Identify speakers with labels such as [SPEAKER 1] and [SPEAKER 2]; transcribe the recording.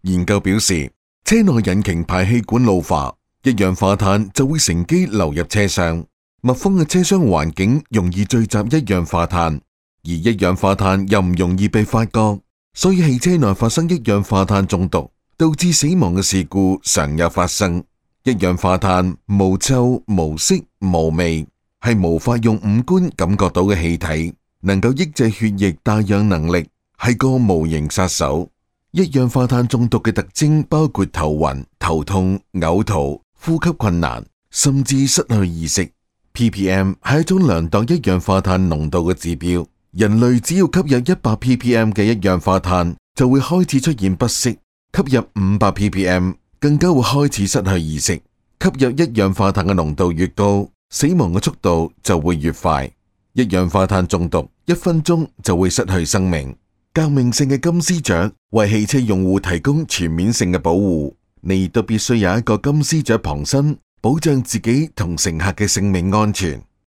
[SPEAKER 1] 研究表示，車內引擎排氣管老化，一氧化碳就會乘機流入車廂。密封嘅車廂環境容易聚集一氧化碳，而一氧化碳又唔容易被發覺，所以汽車內發生一氧化碳中毒，導致死亡嘅事故常有發生。一氧化碳無臭、無色、無味，係無法用五官感覺到嘅氣體，能夠抑制血液帶氧能力，係個無形殺手。一氧化碳中毒嘅特徵包括頭暈、頭痛、嘔吐、呼吸困難，甚至失去意識。ppm 係一種量度一氧化碳濃度嘅指標。人類只要吸入100 ppm 嘅一氧化碳，就會開始出現不適；吸入500 ppm，更加會開始失去意識。吸入一氧化碳嘅濃度越高，死亡嘅速度就會越快。一氧化碳中毒1分鐘就會失去生命。革命性嘅金絲雀為汽車用戶提供全面性嘅保護，你都必須有一個金絲雀傍身，保障自己同乘客嘅性命安全。